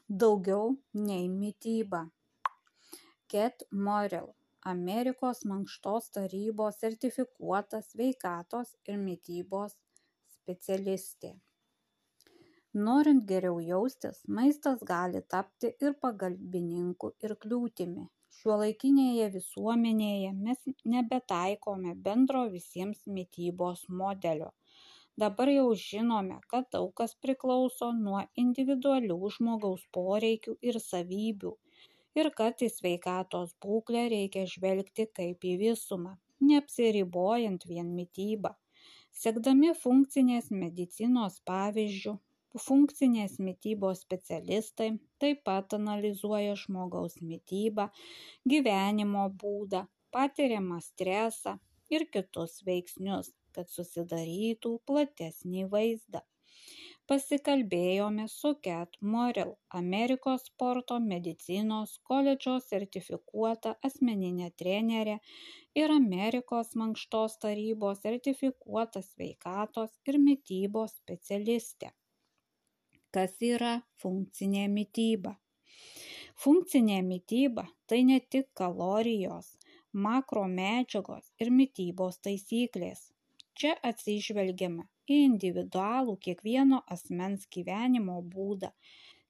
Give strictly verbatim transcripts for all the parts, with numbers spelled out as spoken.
Daugiau nei mityba. Ket Morrell, Amerikos mankštos tarybos sertifikuota sveikatos ir mitybos specialistė. Norint geriau jaustis, maistas gali tapti ir pagalbininku, ir kliūtimi. Šiuolaikinėje visuomenėje mes nebetaikome bendro visiems mitybos modelio. Dabar jau žinome, kad daug kas priklauso nuo individualių žmogaus poreikių ir savybių ir kad į sveikatos būklę reikia žvelgti kaip į visumą, neapsiribojant vien mitybą. Sekdami funkcinės medicinos pavyzdžių, funkcinės mitybos specialistai taip pat analizuoja žmogaus mitybą, gyvenimo būdą, patiriamą stresą ir kitus veiksnius, kad susidarytų platesnį vaizdą. Pasikalbėjome su Ket Morrell, Amerikos sporto medicinos koledžo sertifikuota asmeninė trenerė ir Amerikos mankštos tarybos sertifikuota sveikatos ir mitybos specialistė. Kas yra funkcinė mityba? Funkcinė mityba tai ne tik kalorijos, makromedžiagos ir mitybos taisyklės. Čia atsižvelgiama į individualų kiekvieno asmens gyvenimo būdą,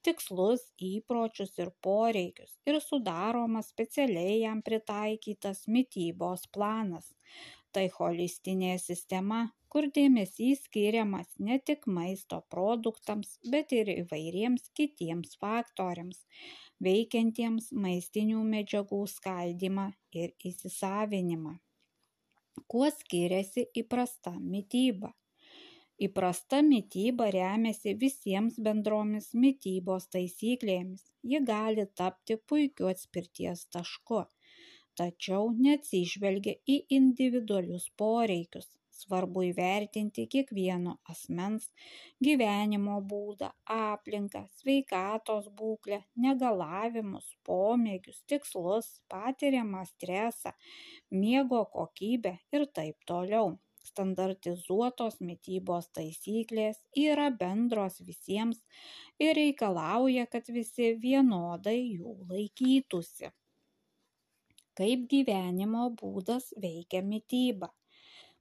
tikslus, įpročius ir poreikius ir sudaromas specialiai jam pritaikytas mitybos planas. Tai holistinė sistema, kur dėmesys skiriamas ne tik maisto produktams, bet ir įvairiems kitiems faktoriams, veikiantiems maistinių medžiagų skaldymą ir įsisavinimą. Kuo skiriasi įprasta mityba? Įprasta mityba remiasi visiems bendromis mitybos taisyklėmis. Ji gali tapti puikiu atspirties tašku, tačiau neatsižvelgia į individualius poreikius. Svarbu įvertinti kiekvieno asmens gyvenimo būdą, aplinką, sveikatos būklę, negalavimus, pomėgius, tikslus, patiriamą stresą, miego kokybę ir taip toliau. Standartizuotos mitybos taisyklės yra bendros visiems ir reikalauja, kad visi vienodai jų laikytųsi. Kaip gyvenimo būdas veikia mityba?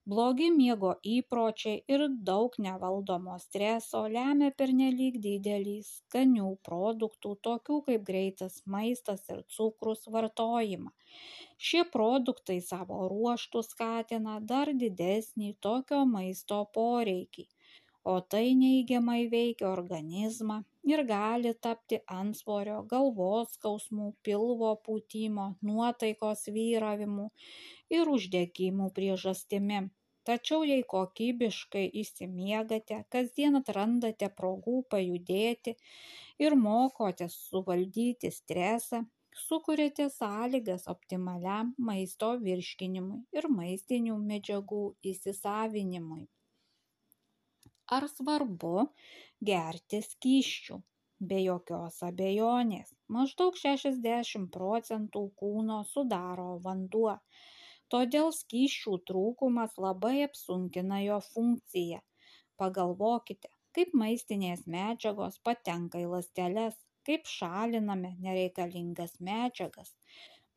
Blogi miego įpročiai ir daug nevaldomo streso lemia pernelyg didelį skanių produktų, tokių kaip greitas maistas ir cukrus vartojimą. Šie produktai savo ruožtu skatina dar didesnį tokio maisto poreikį, o tai neigiamai veikia organizmą ir gali tapti antsvorio, galvos skausmų, pilvo pūtimo, nuotaikos vyravimų ir uždegimų priežastimi. Tačiau jei kokybiškai išsimiegate, kasdien atrandate progų pajudėti ir mokotės suvaldyti stresą, sukuriate sąlygas optimaliam maisto virškinimui ir maistinių medžiagų įsisavinimui. Ar svarbu gerti skysčių? Be jokios abejonės. Maždaug šešiasdešimt procentų kūno sudaro vanduo. Todėl skysčių trūkumas labai apsunkina jo funkciją. Pagalvokite, kaip maistinės medžiagos patenka į ląsteles, kaip šaliname nereikalingas medžiagas.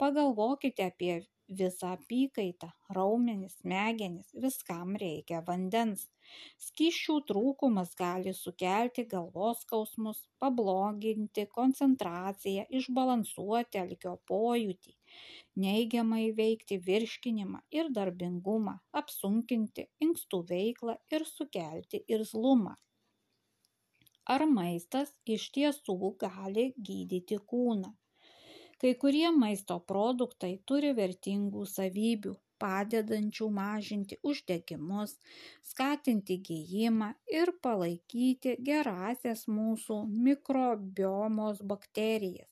Pagalvokite apie visą apykaitą, raumenis, smegenis, viskam reikia vandens. Skysčių trūkumas gali sukelti galvos skausmus, pabloginti koncentraciją, išbalansuoti alkio pojūtį, neigiamai veikti virškinimą ir darbingumą, apsunkinti inkstų veiklą ir sukelti irzlumą. Ar maistas iš tiesų gali gydyti kūną? Kai kurie maisto produktai turi vertingų savybių, padedančių mažinti uždegimus, skatinti gijimą ir palaikyti gerąsias mūsų mikrobiomos bakterijas.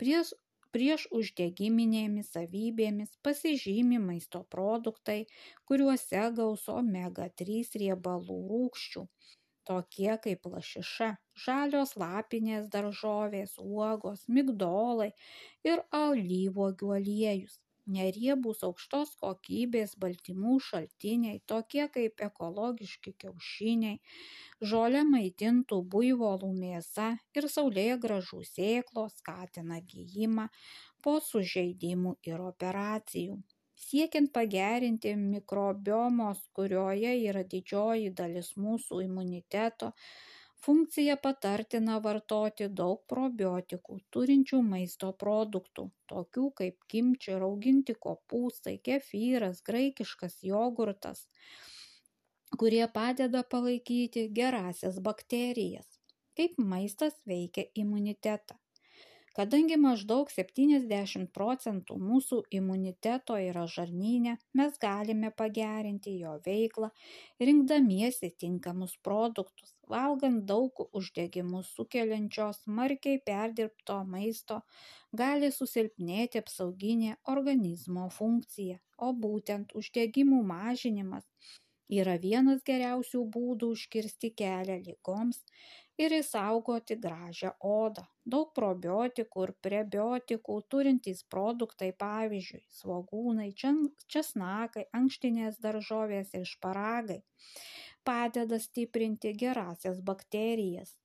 Prieš, prieš uždegiminėmis savybėmis pasižymi maisto produktai, kuriuose gausu omega trys riebalų rūgščių, tokie kaip lašiša, žalios lapinės daržovės, uogos, migdolai ir alyvuogių aliejus. Neriebūs aukštos kokybės baltymų šaltiniai, tokie kaip ekologiški kiaušiniai, žole maitintų buivolų mėsa ir saulėgrąžų sėklos skatina gijimą po sužeidimų ir operacijų. Siekiant pagerinti mikrobiomos, kurioje yra didžioji dalis mūsų imuniteto, funkcija patartina vartoti daug probiotikų turinčių maisto produktų, tokių kaip kimči, rauginti kopūstai, kefyras, graikiškas jogurtas, kurie padeda palaikyti gerąsias bakterijas. Kaip maistas veikia imunitetą. Kadangi maždaug septyniasdešimt procentų mūsų imuniteto yra žarnyne, mes galime pagerinti jo veiklą, rinkdamiesi tinkamus produktus. Valgant daug uždegimus sukeliančios smarkiai perdirbto maisto gali susilpnėti apsauginė organizmo funkcija, o būtent uždegimų mažinimas yra vienas geriausių būdų užkirsti kelią ligoms ir išsaugoti gražią odą. Daug probiotikų ir prebiotikų turintys produktai, pavyzdžiui, svogūnai, česnakai, ankštinės daržovės ir šparagai, padeda stiprinti gerąsias bakterijas.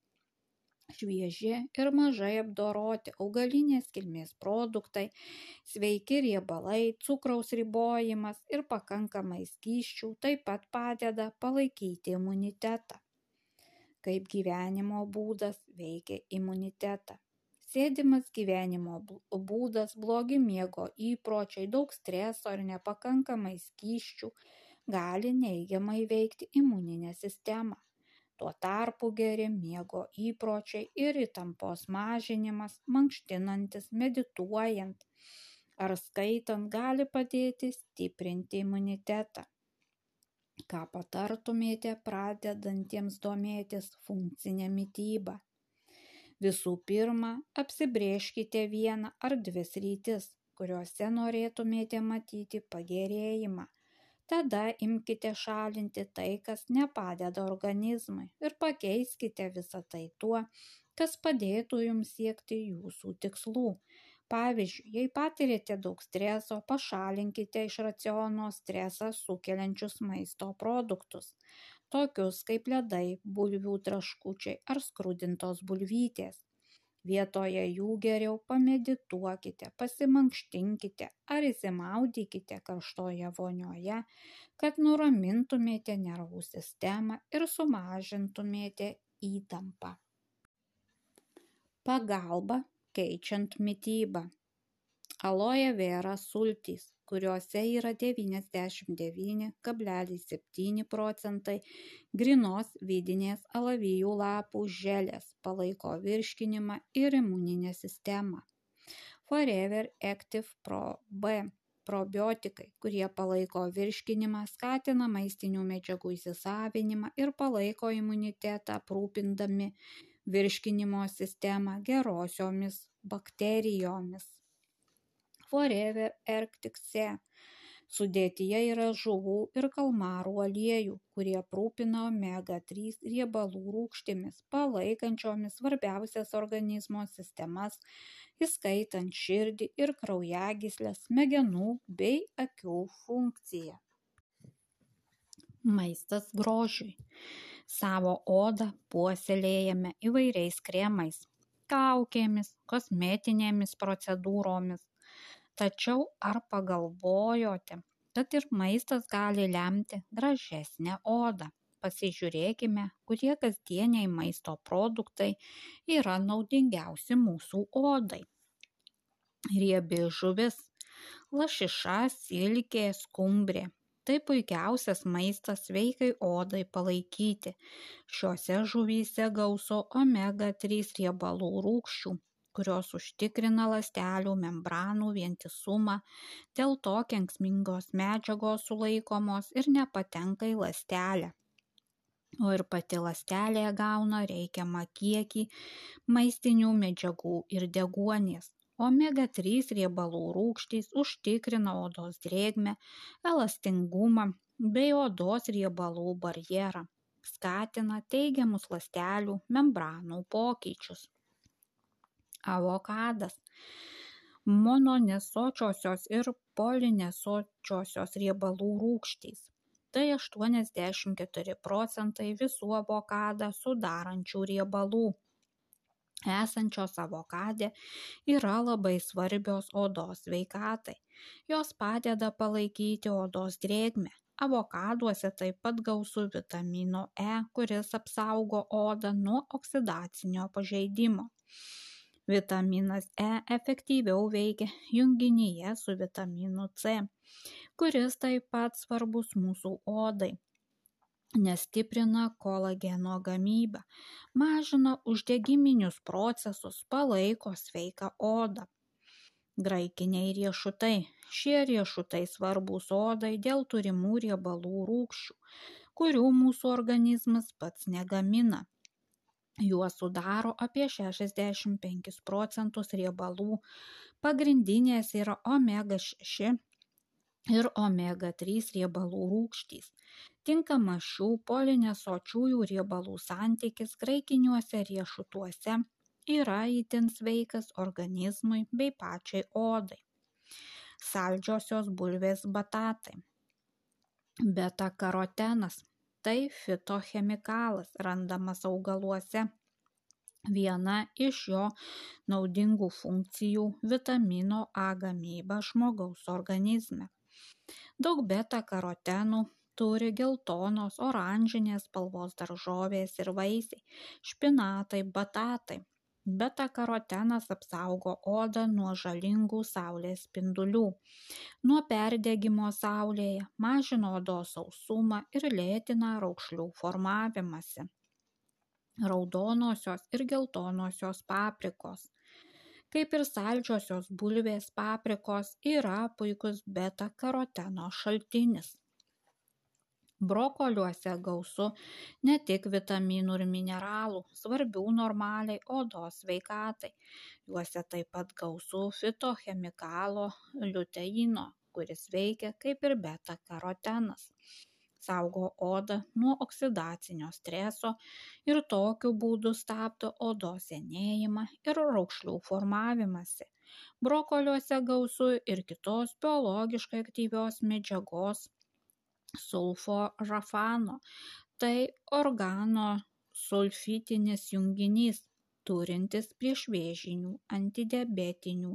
Švieži ir mažai apdoroti augalinės kilmės produktai, sveiki riebalai, cukraus ribojimas ir pakankamai skysčių taip pat padeda palaikyti imunitetą. Kaip gyvenimo būdas veikia imunitetą. Sėdimas gyvenimo būdas, blogi miego įpročiai, daug streso ir nepakankamai skysčių gali neigiamai veikti imuninę sistemą. Tuo tarpu geri miego įpročiai ir įtampos mažinimas, mankštinantis, medituojant ar skaitant gali padėti stiprinti imunitetą. Ką patartumėte pradedantiems domėtis funkcinę mitybą? Visų pirma, apsibrėžkite vieną ar dvi sritis, kuriuose norėtumėte matyti pagerėjimą. Tada imkite šalinti tai, kas nepadeda organizmui ir pakeiskite visą tai tuo, kas padėtų jums siekti jūsų tikslų. Pavyzdžiui, jei patirėte daug streso, pašalinkite iš raciono stresą sukeliančius maisto produktus, tokius kaip ledai, bulvių traškučiai ar skrudintos bulvytės. Vietoje jų geriau pamedituokite, pasimankštinkite ar įsimaudykite karštoje vonioje, kad nuramintumėte nervų sistemą ir sumažintumėte įtampą. Pagalba keičiant mitybą. Aloe vera sultys, kuriuose yra devyniasdešimt devyni kablelis septyni procentai grynos vidinės alavijų lapų želės, palaiko virškinimą ir imuninę sistemą. Forever Active Pro B probiotikai, kurie palaiko virškinimą, skatina maistinių medžiagų įsisavinimą ir palaiko imunitetą, aprūpindami virškinimo sistemą gerosiomis bakterijomis. Forever Arctic Sea sudėtyje yra žuvų ir kalmarų aliejų, kurie aprūpina omega trys riebalų rūgštimis, palaikančiomis svarbiausias organizmo sistemas, įskaitant širdį ir kraujagyslės, smegenų bei akių funkciją. Maistas grožiui. Savo odą puoselėjame įvairiais kremais, kaukėmis, kosmetinėmis procedūromis. Tačiau ar pagalvojote, kad ir maistas gali lemti gražesnę odą? Pasižiūrėkime, kurie kasdieniai maisto produktai yra naudingiausi mūsų odai. Riebi žuvis, lašiša, silkė, skumbrė. Tai puikiausias maistas sveikai odai palaikyti. Šiuose žuvyse gausu omega trys riebalų rūgščių, kurios užtikrina ląstelių membranų vientisumą, dėl to kenksmingos medžiagos sulaikomos ir nepatenka į ląstelę. O ir pati ląstelė gauna reikiamą kiekį maistinių medžiagų ir deguonies. Omega trys riebalų rūgštys užtikrina odos drėgmę, elastingumą bei odos riebalų barjerą, skatina teigiamus ląstelių membranų pokyčius. Avokadas. Mononesočiosios ir polinesočiosios riebalų rūgštys. Tai aštuoniasdešimt keturi procentai visų avokadą sudarančių riebalų esančios avokade yra labai svarbios odos sveikatai. Jos padeda palaikyti odos drėgmę. Avokaduose taip pat gausu vitamino E, kuris apsaugo odą nuo oksidacinio pažeidimo. Vitaminas E efektyviau veikia junginyje su vitaminu C, kuris taip pat svarbus mūsų odai, nes stiprina kolageno gamybą, mažina uždegiminius procesus, palaiko sveiką odą. Graikiniai riešutai. Šie riešutai svarbūs odai dėl turimų riebalų rūgščių, kurių mūsų organizmas pats negamina. Juos sudaro apie šešiasdešimt penkis procentus riebalų. Pagrindinės yra omega šeši ir omega trys riebalų rūgštys. Tinkamas šių polinesočiųjų riebalų santykis graikiniuose riešutuose yra itin sveikas organizmui bei pačiai odai. Saldžiosios bulvės batatai. Beta-karotenas – tai fitochemikalas randamas augaluose. Viena iš jo naudingų funkcijų – vitamino A gamyba žmogaus organizme. Daug beta-karotenų turi geltonos, oranžinės spalvos daržovės ir vaisiai, špinatai, batatai. Beta-karotenas apsaugo odą nuo žalingų saulės spindulių, nuo perdegimo saulėje, mažina odos sausumą ir lėtina raukšlių formavimąsi. Raudonosios ir geltonosios paprikos. Kaip ir saldžiosios bulvės, paprikos yra puikus beta-karoteno šaltinis. Brokoliuose gausu ne tik vitaminų ir mineralų, svarbių normaliai odos sveikatai. Juose taip pat gausu fitochemikalo liuteino, kuris veikia kaip ir beta-karotenas. Saugo odą nuo oksidacinio streso ir tokiu būdu stabdo odos senėjimą ir raukšlių formavimąsi. Brokoliuose gausu ir kitos biologiškai aktyvios medžiagos sulforafano. Tai organosulfitinis junginys, turintis priešvėžinių, antidiabetinių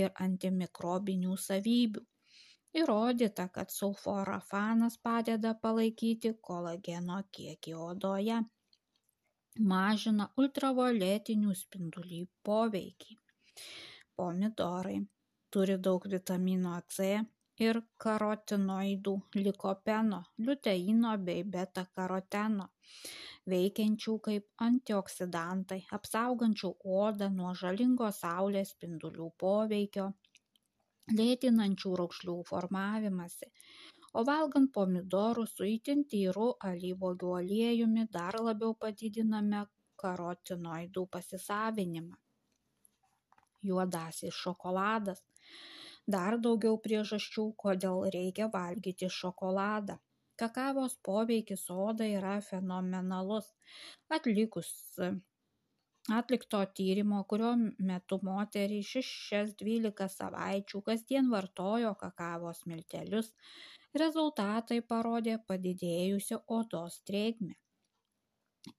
ir antimikrobinių savybių. Įrodyta, kad sulforafanas padeda palaikyti kolageno kiekį odoje, mažina ultravioletinių spindulių poveikį. Pomidorai turi daug vitamino C ir karotinoidų, likopeno, liuteino bei beta-karoteno, veikiančių kaip antioksidantai, apsaugančių odą nuo žalingo saulės spindulių poveikio, lėtinančių raukšlių formavimąsi. O valgant pomidorus su itin tyru alyvuogių aliejumi dar labiau padidiname karotinoidų pasisavinimą. Juodasis šokoladas. Dar daugiau priežasčių, kodėl reikia valgyti šokoladą. Kakavos poveikis odai yra fenomenalus. Atlikus atlikto tyrimo, kurio metu moterys šešias dvylika savaičių kasdien vartojo kakavos miltelius, rezultatai parodė padidėjusią odos drėgmę.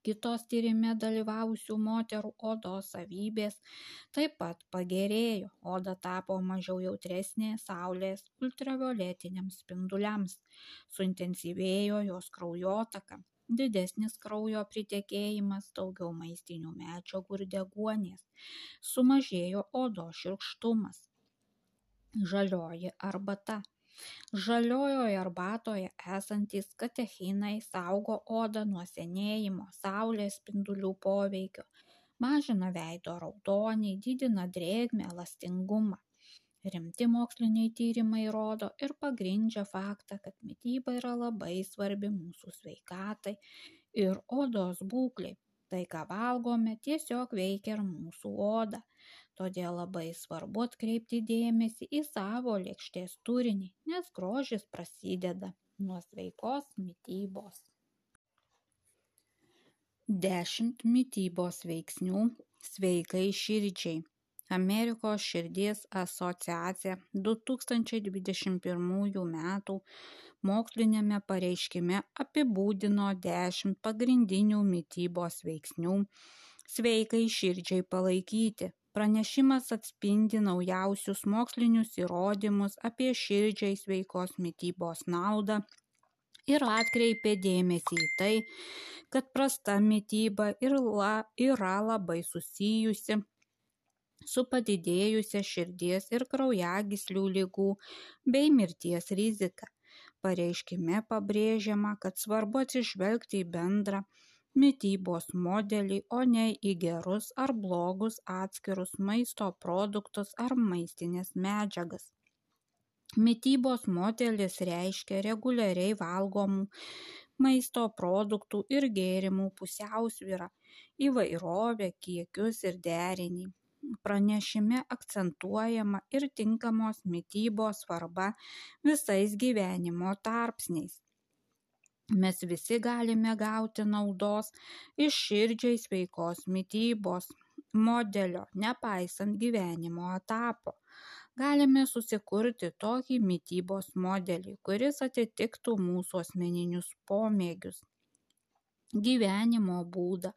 Kitos tyrime dalyvavusių moterų odos savybės taip pat pagerėjo. Oda tapo mažiau jautresnė saulės ultravioletiniams spinduliams, suintensyvėjo jos kraujotaka, didesnis kraujo pritekėjimas, daugiau maistinių medžiagų ir deguonies, sumažėjo odos šiurkštumas. Žalioji arbata. Žaliojoje arbatoje esantys katechinai saugo odą nuo senėjimo, saulės spindulių poveikio, mažina veido raudonį, didina drėgmę, elastingumą. Rimti moksliniai tyrimai rodo ir pagrindžia faktą, kad mityba yra labai svarbi mūsų sveikatai ir odos būklei. Tai, ką valgome, tiesiog veikia ir mūsų odą. Todėl labai svarbu atkreipti dėmesį į savo lėkštės turinį, nes grožis prasideda nuo sveikos mitybos. dešimt mitybos veiksnių sveikai širdžiai. Amerikos širdies asociacija du tūkstančiai dvidešimt pirmųjų metų moksliniame pareiškime apibūdino dešimt pagrindinių mitybos veiksnių sveikai širdžiai palaikyti. Pranešimas atspindi naujausius mokslinius įrodymus apie širdžiai sveikos mitybos naudą ir atkreipė dėmesį į tai, kad prasta mityba yra labai susijusi su padidėjusia širdies ir kraujagyslių ligų bei mirties rizika. Pareiškime pabrėžiama, kad svarbu atsižvelgti į bendrą mitybos modelį, o ne į gerus ar blogus atskirus maisto produktus ar maistinės medžiagas. Mitybos modelis reiškia reguliariai valgomų maisto produktų ir gėrimų pusiausvyrą, įvairovę, kiekius ir derinį. Pranešime akcentuojama ir tinkamos mitybos svarba visais gyvenimo tarpsniais. Mes visi galime gauti naudos iš širdžiai sveikos mitybos modelio, nepaisant gyvenimo etapo. Galime susikurti tokį mitybos modelį, kuris atitiktų mūsų asmeninius pomėgius, gyvenimo būdą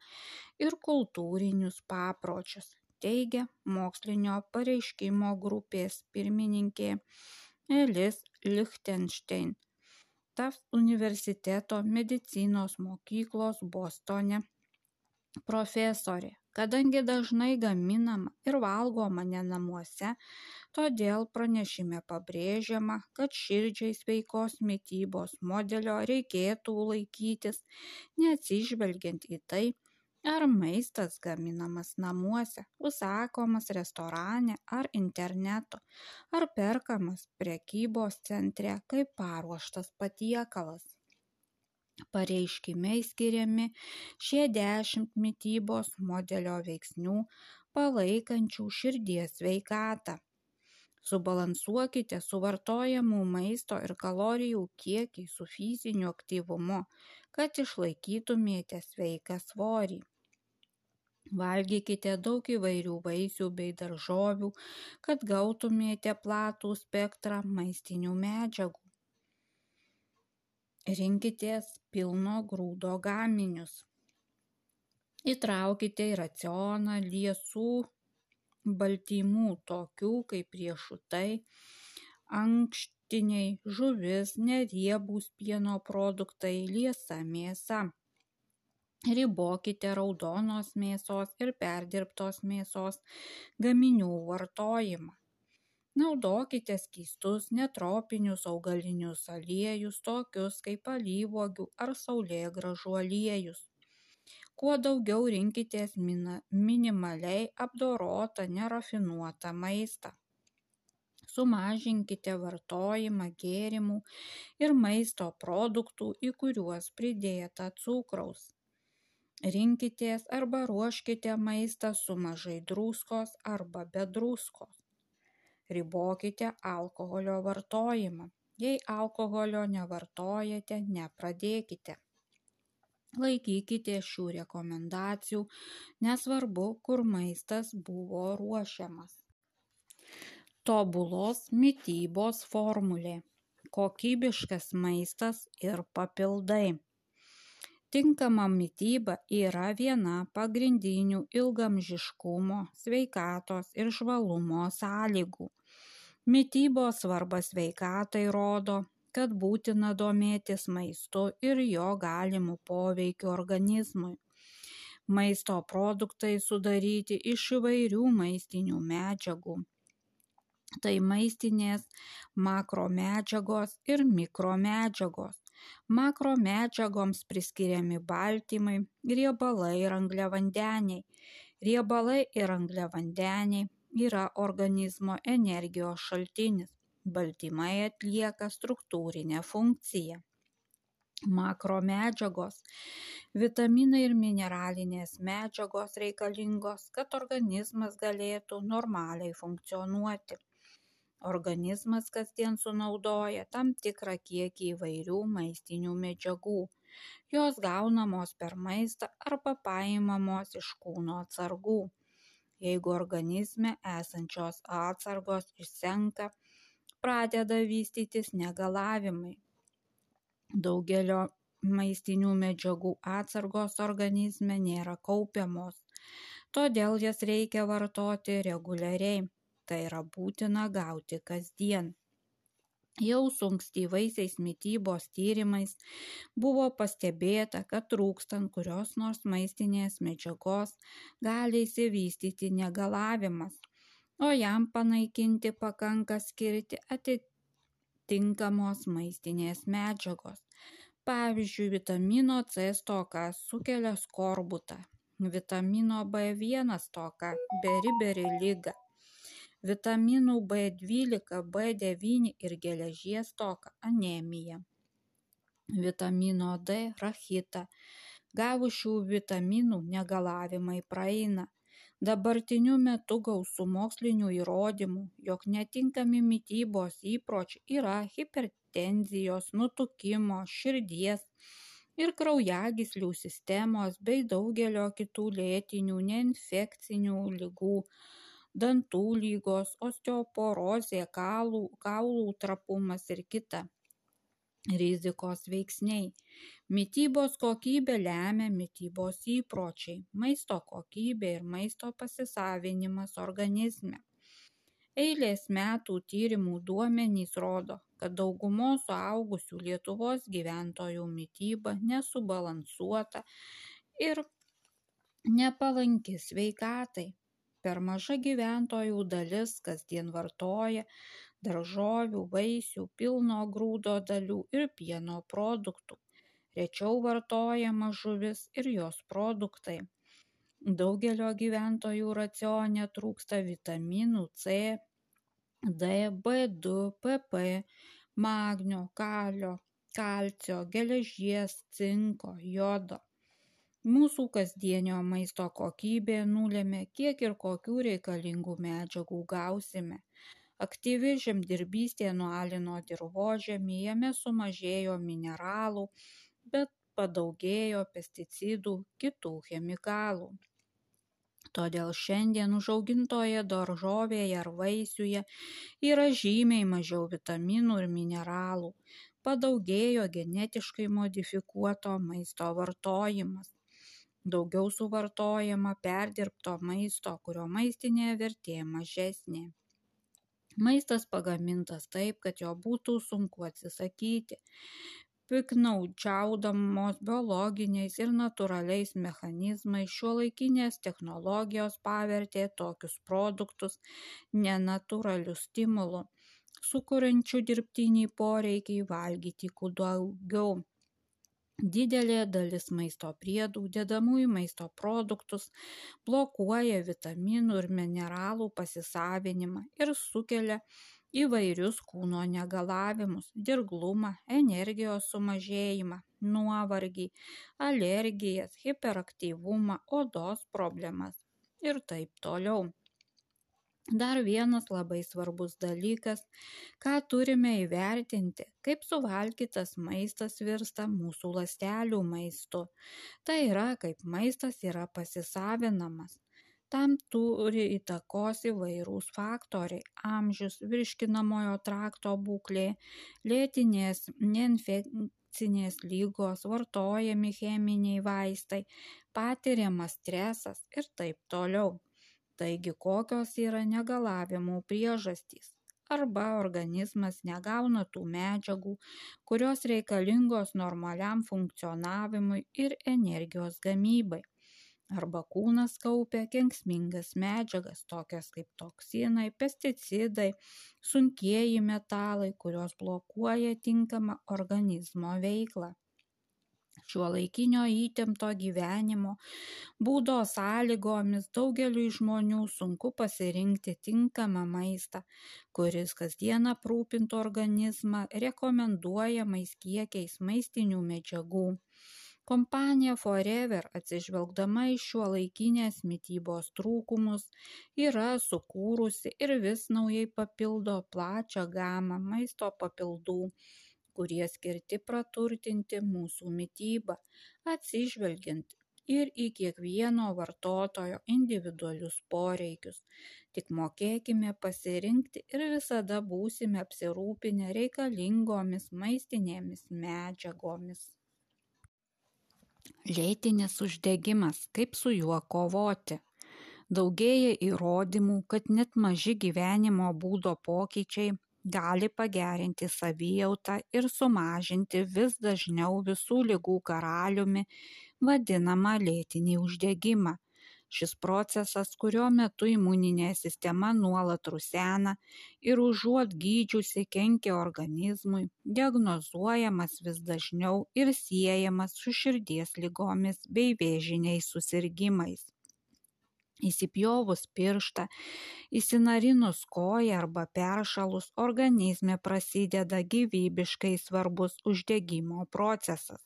ir kultūrinius papročius, teigia mokslinio pareiškimo grupės pirmininkė Elis Lichtenstein, Tufts universiteto medicinos mokyklos Bostone profesorė. Kadangi dažnai gaminama ir valgoma ne namuose, todėl pranešime pabrėžiama, kad širdžiai sveikos mitybos modelio reikėtų laikytis, neatsižvelgiant į tai, ar maistas gaminamas namuose, užsakomas restorane ar internetu, ar perkamas prekybos centre kaip paruoštas patiekalas. Pareiškime skiriami šie dešimt mitybos modelio veiksnių palaikančių širdies sveikatą. Subalansuokite suvartojamų maisto ir kalorijų kiekį su fiziniu aktyvumu, kad išlaikytumėte sveiką svorį. Valgykite daug įvairių vaisių bei daržovių, kad gautumėte platų spektrą maistinių medžiagų. Rinkitės pilno grūdo gaminius. Įtraukite į racioną liesų baltymų, tokių kaip riešutai, ankštiniai, žuvis, neriebūs pieno produktai, liesa mėsa. Ribokite raudonos mėsos ir perdirbtos mėsos gaminių vartojimą. Naudokite skystus netropinius augalinius aliejus, tokius kaip alyvuogių ar saulėgrąžų aliejus. Kuo daugiau rinkitės minimaliai apdorotą nerafinuotą maistą. Sumažinkite vartojimą gėrimų ir maisto produktų, į kuriuos pridėta cukraus. Rinkitės arba ruoškite maistą su mažai druskos arba be druskos. Ribokite alkoholio vartojimą. Jei alkoholio nevartojate, nepradėkite. Laikykite šių rekomendacijų, nesvarbu, kur maistas buvo ruošiamas. Tobulos mitybos formulė. Kokybiškas maistas ir papildai. Tinkama mityba yra viena pagrindinių ilgaamžiškumo, sveikatos ir žvalumo sąlygų. Mitybos svarba sveikatai rodo, kad būtina domėtis maistu ir jo galimų poveikių organizmui. Maisto produktai sudaryti iš įvairių maistinių medžiagų. Tai maistinės makromedžiagos ir mikromedžiagos. Makromedžiagoms priskiriami baltymai, riebalai ir angliavandeniai. Riebalai ir angliavandeniai yra organizmo energijos šaltinis. Baltymai atlieka struktūrinę funkciją. Makromedžiagos, vitaminai ir mineralinės medžiagos reikalingos, kad organizmas galėtų normaliai funkcionuoti. Organizmas kasdien sunaudoja tam tikrą kiekį įvairių maistinių medžiagų. Jos gaunamos per maistą arba paimamos iš kūno atsargų. Jeigu organizme esančios atsargos išsenka, pradeda vystytis negalavimai. Daugelio maistinių medžiagų atsargos organizme nėra kaupiamos, todėl jas reikia vartoti reguliariai, tai yra būtina gauti kasdien. Jau su ankstyvaisiais mitybos tyrimais buvo pastebėta, kad trūkstant kurios nors maistinės medžiagos gali išsivystyti negalavimas, o jam panaikinti pakanka skirti atitinkamos maistinės medžiagos. Pavyzdžiui, vitamino C stoka sukelia skorbutą, vitamino B vienas stoka beriberi ligą, vitaminų B dvylika, B devyni ir geležies stoka anemiją, vitamino D rachitą. Gavus šių vitaminų negalavimai praeina. Dabartiniu metu gausu mokslinių įrodymų, jog netinkami mitybos įpročiai yra hipertenzijos, nutukimo, širdies ir kraujagyslių sistemos bei daugelio kitų lėtinių neinfekcinių ligų, dantų lygos, osteoporozė, kaulų, kaulų trapumas ir kita rizikos veiksniai. Mitybos kokybę lemia mitybos įpročiai, maisto kokybė ir maisto pasisavinimas organizme. Eilės metų tyrimų duomenys rodo, kad daugumos suaugusių Lietuvos gyventojų mityba nesubalansuota ir nepalanki sveikatai. Per maža gyventojų dalis kasdien vartoja daržovių, vaisių, pilno grūdo dalių ir pieno produktų. Rečiau vartojama žuvis ir jos produktai. Daugelio gyventojų racione trūksta vitaminų C, D, B du, P P, magnio, kalio, kalcio, geležies, cinko, jodo. Mūsų kasdienio maisto kokybė nulėmė, kiek ir kokių reikalingų medžiagų gausime. Aktyvi žemdirbystė nualino dirvožemį, jame sumažėjo mineralų, bet padaugėjo pesticidų, kitų chemikalų. Todėl šiandien užaugintoje daržovėje ar vaisiuje yra žymiai mažiau vitaminų ir mineralų. Padaugėjo genetiškai modifikuoto maisto vartojimas. Daugiau suvartojama perdirbto maisto, kurio maistinė vertė mažesnė. Maistas pagamintas taip, kad jo būtų sunku atsisakyti. Piknaudžiaudamos biologiniais ir natūraliais mechanizmais šiuolaikinės technologijos pavertė tokius produktus nenatūraliu stimulu, sukuriančiu dirbtinį poreikį valgyti kuo daugiau. Didelė dalis maisto priedų, dedamųjų maisto produktus, blokuoja vitaminų ir mineralų pasisavinimą ir sukelia įvairius kūno negalavimus, dirglumą, energijos sumažėjimą, nuovargį, alergijas, hiperaktyvumą, odos problemas ir taip toliau. Dar vienas labai svarbus dalykas, ką turime įvertinti, kaip suvalgytas maistas virsta mūsų ląstelių maistu. Tai yra, kaip maistas yra pasisavinamas. Tam turi įtakos įvairūs faktoriai – amžius, virškinamojo trakto būklė, lėtinės neinfekcinės lygos, vartojami cheminiai vaistai, patiriamas stresas ir taip toliau. Taigi, kokios yra negalavimų priežastys? Arba organizmas negauna tų medžiagų, kurios reikalingos normaliam funkcionavimui ir energijos gamybai. Arba kūnas kaupia kenksmingas medžiagas, tokias kaip toksinai, pesticidai, sunkieji metalai, kurios blokuoja tinkamą organizmo veiklą. Šiuolaikinio įtempto gyvenimo būdo sąlygomis daugeliui žmonių sunku pasirinkti tinkamą maistą, kuris kasdien aprūpintų organizmą rekomenduojamais kiekiais maistinių medžiagų. Kompanija Forever, atsižvelgdama į šiuolaikinės mitybos trūkumus, yra sukūrusi ir vis naujai papildo plačią gamą maisto papildų, kurie skirti praturtinti mūsų mitybą, atsižvelgiant ir į kiekvieno vartotojo individualius poreikius. Tik mokėkime pasirinkti ir visada būsime apsirūpinę reikalingomis maistinėmis medžiagomis. Lėtinis uždegimas. Kaip su juo kovoti? Daugėja įrodymų, kad net maži gyvenimo būdo pokyčiai gali pagerinti savijautą ir sumažinti vis dažniau visų ligų karaliumi vadinamą lėtinį uždegimą. Šis procesas, kurio metu imuninė sistema nuolat rusena ir užuot gydžiusi kenkia organizmui, diagnozuojamas vis dažniau ir siejamas su širdies ligomis bei vėžiniais susirgimais. Įsipjovus pirštą, įsinarinus koją arba peršalus, organizme prasideda gyvybiškai svarbus uždegimo procesas.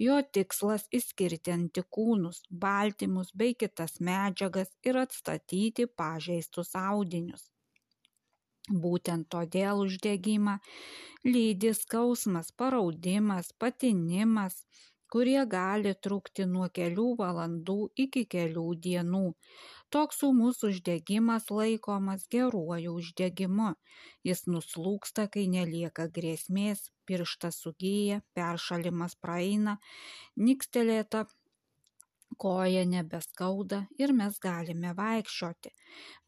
Jo tikslas išskirti antikūnus, baltymus bei kitas medžiagas ir atstatyti pažeistus audinius. Būtent todėl uždegimą lydi skausmas, paraudimas, patinimas, kurie gali trukti nuo kelių valandų iki kelių dienų. Toks ūmus uždegimas laikomas geruoju uždegimu. Jis nuslūgsta, kai nelieka grėsmės, pirštas sugyja, peršalimas praeina, nikstelėta koja nebeskauda ir mes galime vaikščioti.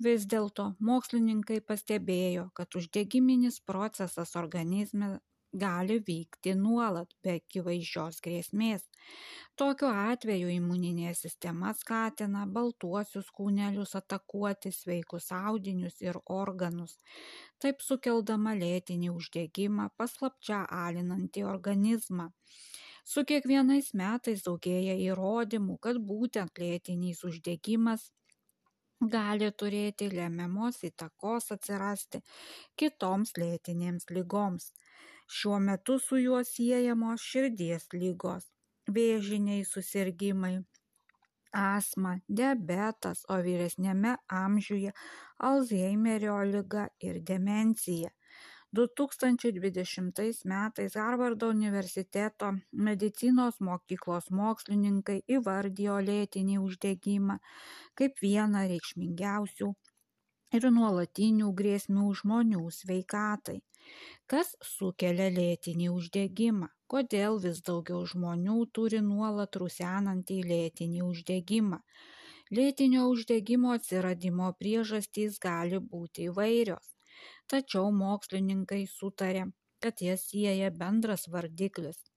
Vis dėlto mokslininkai pastebėjo, kad uždegiminis procesas organizme gali vykti nuolat be akivaizdžios grėsmės. Tokiu atveju imuninė sistema skatina baltuosius kūnelius atakuoti sveikus audinius ir organus, taip sukeldama lėtinį uždegimą, paslapčia alinantį organizmą. Su kiekvienais metais daugėja įrodymų, kad būtent lėtinis uždegimas gali turėti lemiamos įtakos atsirasti kitoms lėtinėms ligoms. Šiuo metu su juo siejamos širdies ligos, vėžiniai susirgimai, astma, diabetas, o vyresniame amžiuje Alzheimerio liga ir demencija. du tūkstančiai dvidešimtais metais Harvardo universiteto medicinos mokyklos mokslininkai įvardijo lėtinį uždegimą kaip vieną reikšmingiausių ir nuolatinių grėsmių žmonių sveikatai. Kas sukelia lėtinį uždegimą? Kodėl vis daugiau žmonių turi nuolat rusenantį lėtinį uždegimą? Lėtinio uždegimo atsiradimo priežastys gali būti įvairios. Tačiau mokslininkai sutarė, kad jas sieja bendras vardiklis –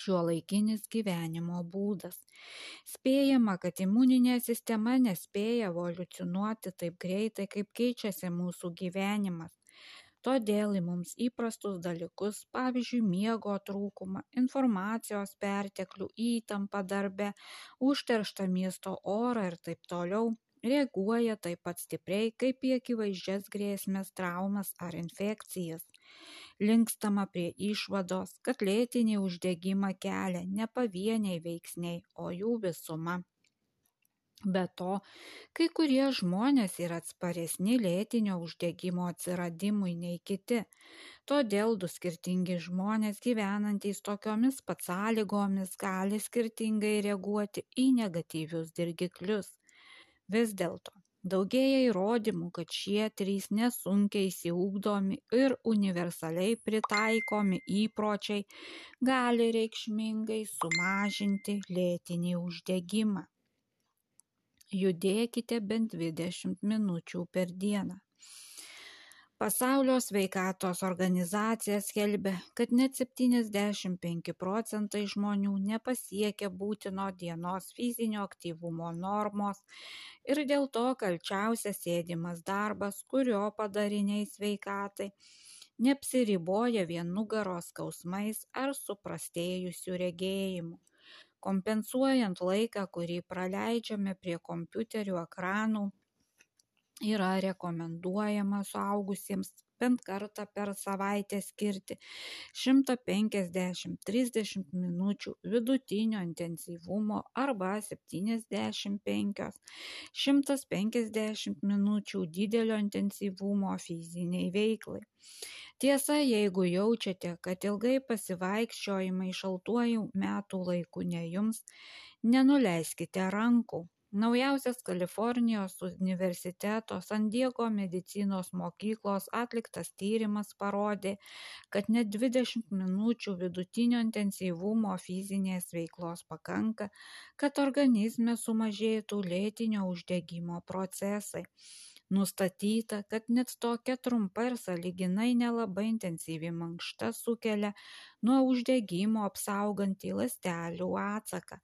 šiuolaikinis gyvenimo būdas. Spėjama, kad imuninė sistema nespėja evoliucionuoti taip greitai, kaip keičiasi mūsų gyvenimas. Todėl į mums įprastus dalykus, pavyzdžiui, miego trūkumą, informacijos perteklių, įtampą darbe, užterštą miesto orą ir taip toliau, reaguoja taip pat stipriai, kaip į akivaizdžias grėsmes, traumas ar infekcijas. Linkstama prie išvados, kad lėtinį uždegimą kelia ne pavieniai veiksniai, o jų visuma. Be to, kai kurie žmonės yra atsparesni lėtinio uždegimo atsiradimui nei kiti. Todėl du skirtingi žmonės gyvenantys tokiomis pat sąlygomis gali skirtingai reaguoti į negatyvius dirgiklius. Vis dėlto, daugėja įrodymų, kad šie trys nesunkiai išsiugdomi ir universaliai pritaikomi įpročiai gali reikšmingai sumažinti lėtinį uždegimą. Judėkite bent dvidešimt minučių per dieną. Pasaulio sveikatos organizacija skelbia, kad net septyniasdešimt penki procentai žmonių nepasiekia būtino dienos fizinio aktyvumo normos ir dėl to kalčiausias sėdimas darbas, kurio padariniai sveikatai neapsiriboja vien nugaros skausmais ar suprastėjusiu regėjimu. Kompensuojant laiką, kurį praleidžiame prie kompiuterių ekranų, yra rekomenduojama suaugusiems bent kartą per savaitę skirti šimtas penkiasdešimt iki trisdešimt minučių vidutinio intensyvumo arba septyniasdešimt penki iki šimtas penkiasdešimt minučių didelio intensyvumo fiziniai veiklai. Tiesa, jeigu jaučiate, kad ilgai pasivaikščiojimai šaltuoju metų laiku ne jums, Nenuleiskite rankų. Naujausias Kalifornijos universiteto San Diego medicinos mokyklos atliktas tyrimas parodė, kad net dvidešimt minučių vidutinio intensyvumo fizinės veiklos pakanka, kad organizme sumažėtų lėtinio uždegimo procesai. Nustatyta, kad net tokia trumpa ir sąlyginai nelabai intensyvi mankšta sukelia nuo uždegimo apsaugantį ląstelių atsaką,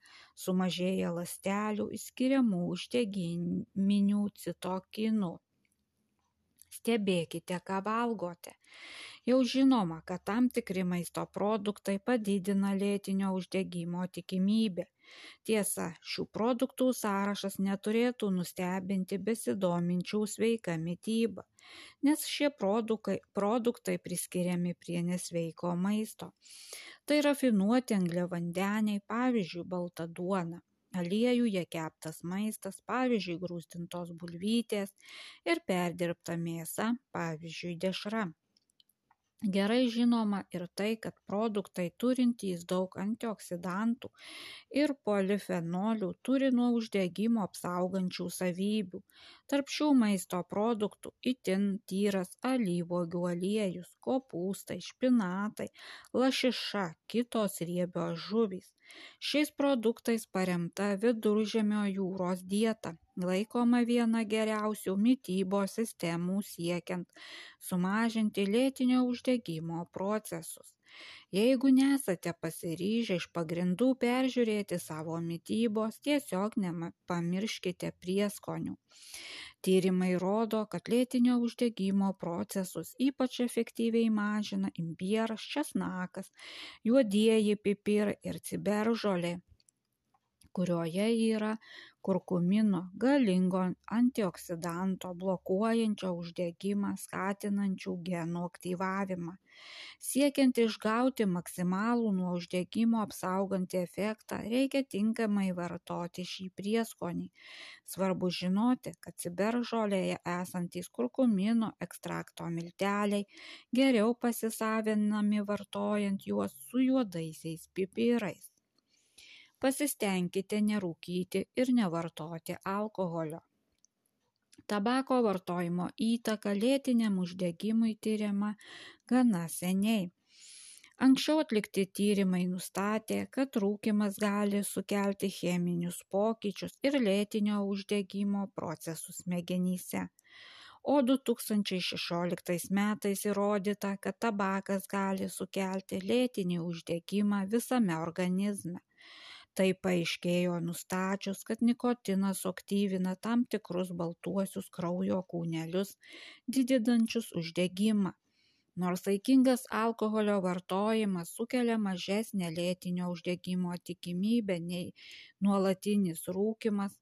sumažėja ląstelių išskiriamų uždegiminių citokinų. Stebėkite, ką valgote. Jau žinoma, kad tam tikri maisto produktai padidina lėtinio uždegimo tikimybę. Tiesa, šių produktų sąrašas neturėtų nustebinti besidominčių sveika mityba, nes šie produktai, produktai priskiriami prie nesveiko maisto. Tai rafinuoti angliavandeniai, pavyzdžiui, balta duona, aliejuje keptas maistas, pavyzdžiui, grūstintos bulvytės ir perdirbta mėsa, pavyzdžiui, dešra. Gerai žinoma ir tai, kad produktai turintys daug antioksidantų ir polifenolių turi nuo uždegimo apsaugančių savybių. Tarp šių maisto produktų itin tyras alyvuogių aliejus, kopūstai, špinatai, lašiša, kitos riebios žuvys. Šiais produktais paremta Viduržemio jūros dieta laikoma viena geriausių mitybos sistemų siekiant sumažinti lėtinio uždegimo procesus. Jeigu nesate pasiryžę iš pagrindų peržiūrėti savo mitybos, tiesiog nepamirškite prieskonių. Tyrimai rodo, kad lėtinio uždegimo procesus ypač efektyviai mažina imbieras, česnakas, juodieji pipirai ir ciberžolė, kurioje yra kurkumino, galingo antioksidanto, blokuojančio uždegimą, skatinančių genų aktyvavimą. Siekiant išgauti maksimalų nuo uždegimo apsaugantį efektą, reikia tinkamai vartoti šį prieskonį. Svarbu žinoti, kad ciberžolėje esantys kurkumino ekstrakto milteliai geriau pasisavinami vartojant juos su juodaisiais pipirais. Pasistengkite nerūkyti ir nevartoti alkoholio. Tabako vartojimo įtaka lėtiniam uždegimui tyriama gana seniai. Anksčiau atlikti tyrimai nustatė, kad rūkymas gali sukelti cheminius pokyčius ir lėtinio uždegimo procesus smegenyse. O du tūkstančiai šešioliktais metais įrodyta, kad tabakas gali sukelti lėtinį uždegimą visame organizme. Tai paaiškėjo nustačius, kad nikotinas suaktyvina tam tikrus baltuosius kraujo kūnelius, didinančius uždegimą. Nors saikingas alkoholio vartojimas sukelia mažesnę lėtinio uždegimo tikimybę nei nuolatinis rūkymas,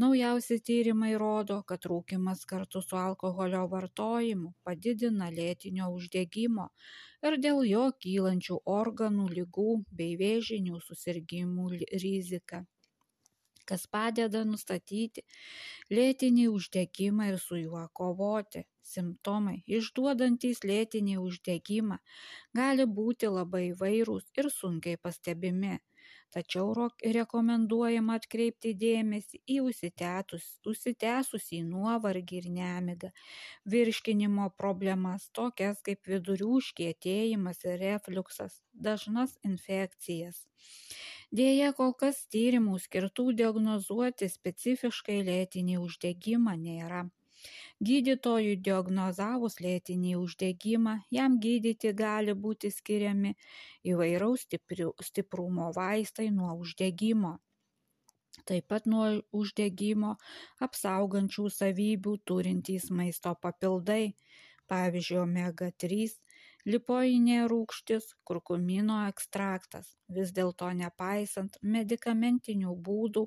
naujausi tyrimai rodo, kad rūkymas kartu su alkoholio vartojimu padidina lėtinio uždegimo ir dėl jo kylančių organų ligų bei vėžinių susirgimų riziką, kas padeda nustatyti lėtinį uždegimą ir su juo kovoti. Simptomai, išduodantys lėtinį uždegimą, gali būti labai įvairūs ir sunkiai pastebimi. Tačiau rekomenduojama atkreipti dėmesį į užsitęsusį nuovargį ir nemigą, virškinimo problemas, tokias kaip vidurių užkietėjimas ir refliuksas, dažnas infekcijas. Deja, kol kas tyrimų skirtų diagnozuoti specifiškai lėtinį uždegimą nėra. Gydytojui diagnozavus lėtinį uždegimą, jam gydyti gali būti skiriami įvairaus stiprumo vaistai nuo uždegimo. Taip pat nuo uždegimo apsaugančių savybių turintys maisto papildai, pavyzdžiui, omega trys, lipoinė rūgštis, kurkumino ekstraktas. Vis dėlto nepaisant medikamentinių būdų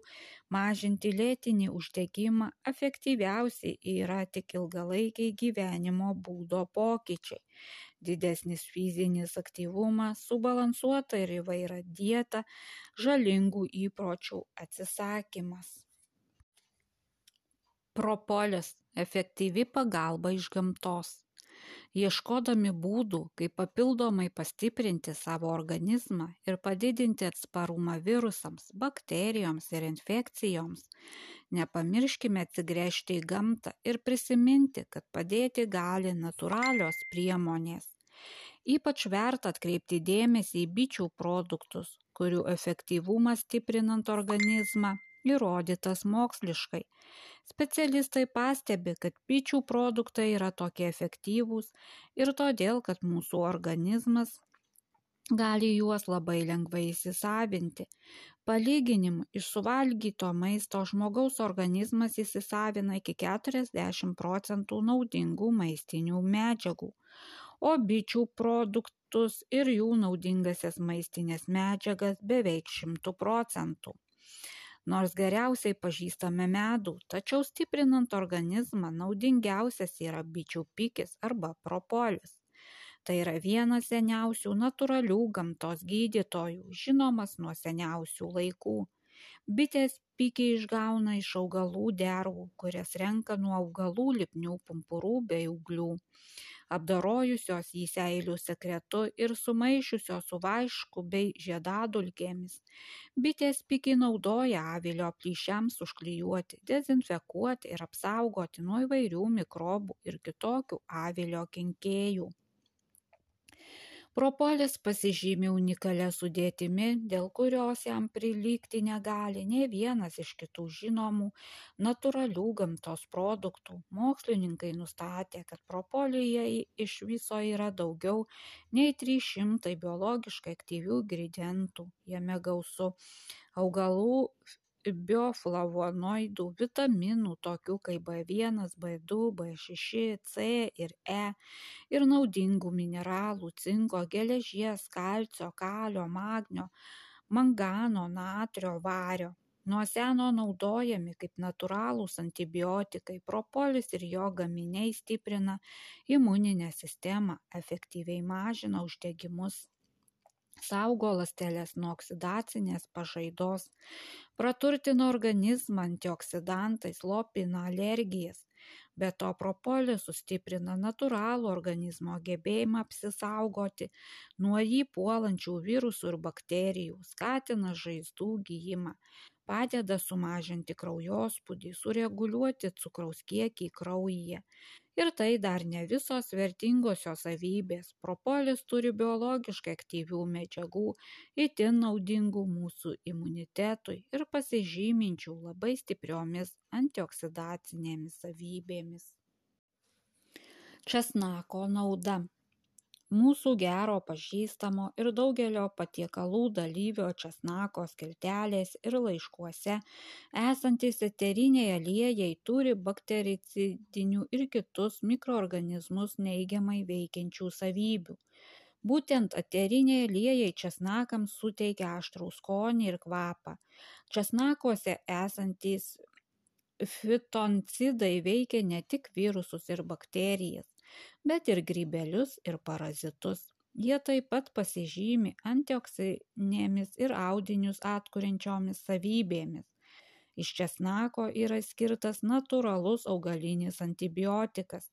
mažinti lėtinį uždegimą, efektyviausiai yra tik ilgalaikiai gyvenimo būdo pokyčiai. Didesnis fizinis aktyvumas, subalansuota ir įvaira dieta, žalingų įpročių atsisakymas. Propolis – efektyvi pagalba iš gamtos. Ieškodami būdų, kaip papildomai pastiprinti savo organizmą ir padidinti atsparumą virusams, bakterijoms ir infekcijoms, nepamirškime atsigręžti į gamtą ir prisiminti, kad padėti gali natūralios priemonės. Ypač verta atkreipti dėmesį į bičių produktus, kurių efektyvumas stiprinant organizmą įrodytas moksliškai. Specialistai pastebi, kad bičių produktai yra tokie efektyvūs ir todėl, kad mūsų organizmas gali juos labai lengvai įsisavinti. Palyginimui, iš suvalgyto maisto žmogaus organizmas įsisavina iki keturiasdešimt procentų naudingų maistinių medžiagų, o bičių produktus ir jų naudingasias maistinės medžiagas beveik šimtu procentų. Nors geriausiai pažįstame medų, tačiau stiprinant organizmą naudingiausias yra bičių pikis arba propolis. Tai yra vienas seniausių natūralių gamtos gydytojų, žinomas nuo seniausių laikų. Bitės pikį išgauna iš augalų dervų, kurias renka nuo augalų lipnių pumpurų bei ūglių. Apdorojusios jį seilių sekretu ir sumaišiusios su vašku bei žiedadulkėmis. Bitės pikį naudoja avilio plyšiams užklijuoti, dezinfekuoti ir apsaugoti nuo įvairių mikrobų ir kitokių avilio kenkėjų. Propolis pasižymi unikalia sudėtimi, dėl kurios jam prilygti negali nei vienas iš kitų žinomų natūralių gamtos produktų. Mokslininkai nustatė, kad propolyje iš viso yra daugiau nei trys šimtai biologiškai aktyvių ingredientų. Jame gausu augalų bioflavonoidų, vitaminų, tokių kaip B vienas, B du, B šeši, C ir E, ir naudingų mineralų, cinko, geležies, kalcio, kalio, magnio, mangano, natrio, vario. Nuo seno naudojami kaip natūralūs antibiotikai, propolis ir jo gaminiai stiprina imuninę sistemą, efektyviai mažina uždegimus, saugo ląsteles nuo oksidacinės pažaidos, praturtina organizmą antioksidantais, slopina alergijas. Be to, propolis sustiprina natūralų organizmo gebėjimą apsisaugoti nuo jį puolančių virusų ir bakterijų, skatina žaizdų gijimą, padeda sumažinti kraujospūdį, sureguliuoti cukraus kiekį kraujyje. Ir tai dar ne visos vertingosios savybės. Propolis turi biologiškai aktyvių medžiagų, itin naudingų mūsų imunitetui ir pasižyminčių labai stipriomis antioksidacinėmis savybėmis. Česnako nauda. Mūsų gero pažįstamo ir daugelio patiekalų dalyvio česnako skiltelės ir laiškuose esantys eteriniai aliejai turi baktericidinių ir kitus mikroorganizmus neigiamai veikiančių savybių. Būtent eteriniai aliejai česnakams suteikia aštrų skonį ir kvapą. Česnakuose esantys fitoncidai veikia ne tik virusus ir bakterijas, bet ir grybelius ir parazitus. Jie taip pat pasižymi antioksidinėmis ir audinius atkuriančiomis savybėmis. Iš česnako yra skirtas natūralus augalinis antibiotikas,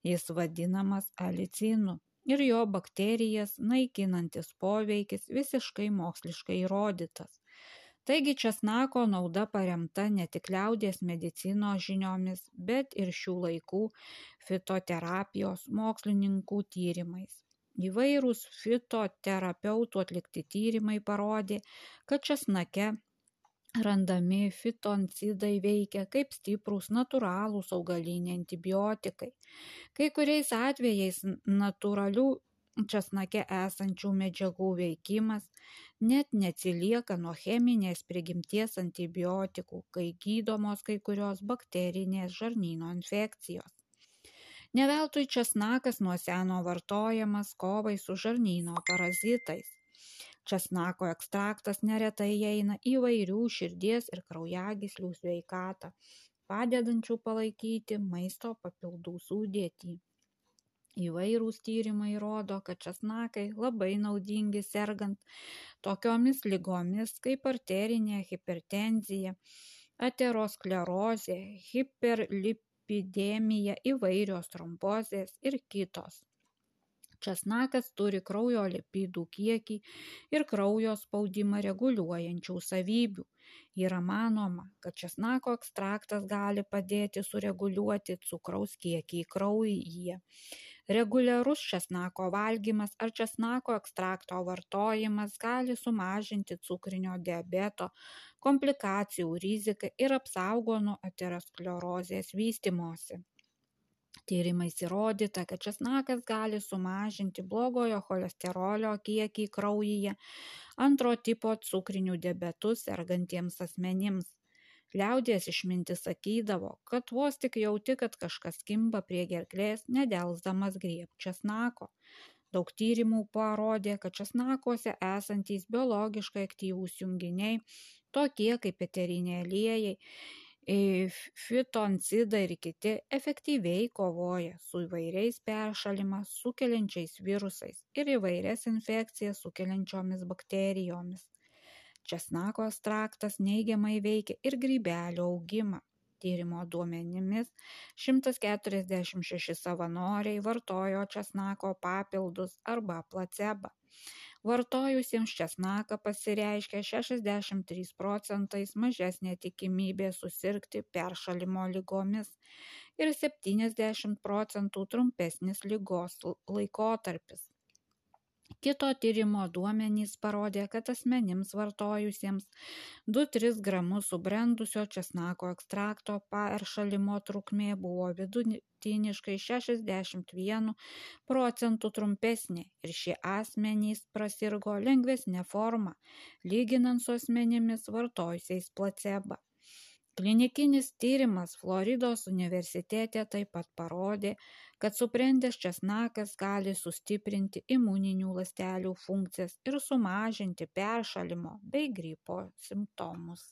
jis vadinamas alicinu, ir jo bakterijas naikinantis poveikis visiškai moksliškai įrodytas. Taigi česnako nauda paremta ne tik liaudies medicinos žiniomis, bet ir šių laikų fitoterapijos mokslininkų tyrimais. Įvairūs fitoterapeutų atlikti tyrimai parodė, kad česnake randami fitoncidai veikia kaip stiprūs natūralūs augaliniai antibiotikai. Kai kuriais atvejais natūralių česnake esančių medžiagų veikimas net neatsilieka nuo cheminės prigimties antibiotikų, kai gydomos kai kurios bakterinės žarnyno infekcijos. Ne veltui česnakas nuo seno vartojamas kovai su žarnyno parazitais. Česnako ekstraktas neretai įeina įvairių širdies ir kraujagyslių sveikatą, padedančių palaikyti maisto papildų sudėtį. Įvairūs tyrimai rodo, kad česnakai labai naudingi sergant tokiomis ligomis kaip arterinė hipertenzija, aterosklerozė, hiperlipidemija, dislipidemija, įvairios trombozės ir kitos. Česnakas turi kraujo lipidų kiekį ir kraujo spaudimą reguliuojančių savybių. Yra manoma, kad česnako ekstraktas gali padėti sureguliuoti cukraus kiekį kraujyje. Reguliarus česnako valgymas ar česnako ekstrakto vartojimas gali sumažinti cukrinio diabeto komplikacijų riziką ir apsaugo nuo aterosklerozės vystymosi. Tyrimais įrodyta, kad česnakas gali sumažinti blogojo cholesterolio kiekį kraujyje, antro tipo cukriniu diabetu sergantiems asmenims. Liaudies išmintis sakydavo, kad vos tik jauti, kad kažkas kimba prie gerklės, nedelsdamas griebk česnako. Daug tyrimų parodė, kad česnakuose esantys biologiškai aktyvūs junginiai, tokie kaip eteriniai aliejai, fitoncidai ir kiti, efektyviai kovoja su įvairiais peršalimą sukeliančiais virusais ir įvairias infekcijas sukeliančiomis bakterijomis. Česnako ekstraktas neigiamai veikia ir grybelio augimą. Tyrimo duomenimis šimtas keturiasdešimt šeši savanoriai vartojo česnako papildus arba placebą. Vartojusiems česnaką pasireiškia šešiasdešimt trys procentais mažesnė tikimybė susirgti peršalimo ligomis ir septyniasdešimt procentų trumpesnis ligos laikotarpis. Kito tyrimo duomenys parodė, kad asmenims vartojusiems du tris gramus subrendusio česnako ekstrakto peršalimo trukmė buvo vidutiniškai šešiasdešimt vienu procentu trumpesnė ir šie asmenys prasirgo lengvesnė forma, lyginant su asmenimis vartojusiais placebą. Klinikinis tyrimas Floridos universitete taip pat parodė, kad subrendęs česnakas gali sustiprinti imuninių ląstelių funkcijas ir sumažinti peršalimo bei gripo simptomus.